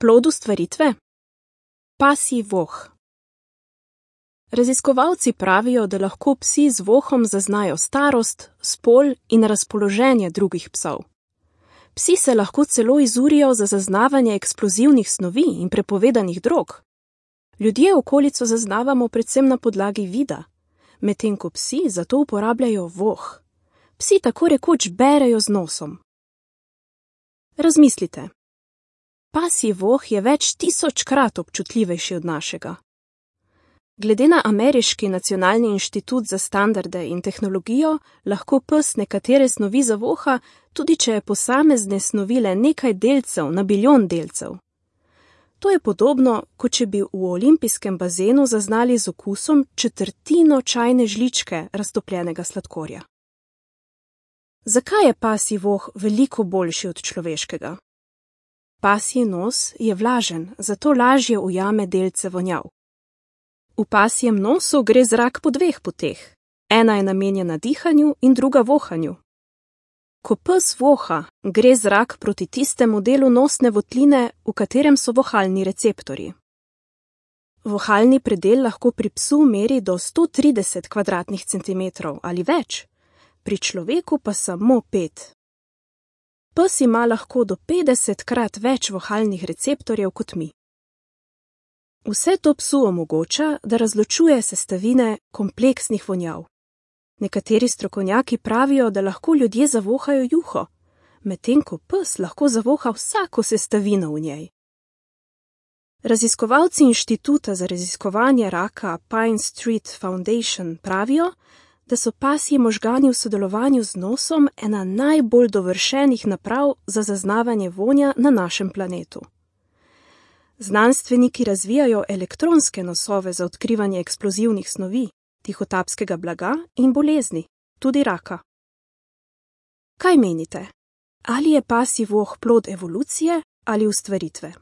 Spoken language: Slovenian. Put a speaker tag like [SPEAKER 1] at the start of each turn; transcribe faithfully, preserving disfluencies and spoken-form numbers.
[SPEAKER 1] Plod ustvaritve? Pasji voh. Raziskovalci pravijo, da lahko psi z vohom zaznajo starost, spol in razpoloženje drugih psov. Psi se lahko celo izurijo za zaznavanje eksplozivnih snovi in prepovedanih drog. Ljudje okolico zaznavamo predvsem na podlagi vida, medtem ko psi zato uporabljajo voh. Psi tako rekoč berejo z nosom. Razmislite. Pasji voh je več tisočkrat občutljivejši od našega. Glede na Ameriški nacionalni inštitut za standarde in tehnologijo, lahko pes nekatere snovi zavoha, tudi če je posamezne snovi le nekaj delcev na bilijon delcev. To je podobno, kot če bi v olimpijskem bazenu zaznali z okusom četrtino čajne žličke raztopljenega sladkorja. Zakaj je pasji voh veliko boljši od človeškega? Pasji nos je vlažen, zato lažje ujame delce vonjav. V pasjem nosu gre zrak po dveh poteh. Ena je namenjena dihanju in druga vohanju. Ko pes voha, gre zrak proti tistemu delu nosne votline, v katerem so vohalni receptorji. Vohalni predel lahko pri psu meri do sto trideset kvadratnih centimetrov ali več, pri človeku pa samo pet. Pes ima lahko do petdesetkrat več vohalnih receptorjev kot mi. Vse to psu omogoča, da razločuje sestavine kompleksnih vonjav. Nekateri strokovnjaki pravijo, da lahko ljudje zavohajo juho, medtem ko pes lahko zavoha vsako sestavino v njej. Raziskovalci Inštituta za raziskovanje raka Pine Street Foundation pravijo, da so pasji možgani v sodelovanju z nosom ena najbolj dovršenih naprav za zaznavanje vonja na našem planetu. Znanstveniki razvijajo elektronske nosove za odkrivanje eksplozivnih snovi, tihotapskega blaga in bolezni, tudi raka. Kaj menite? Ali je pasji voh plod evolucije ali ustvaritve?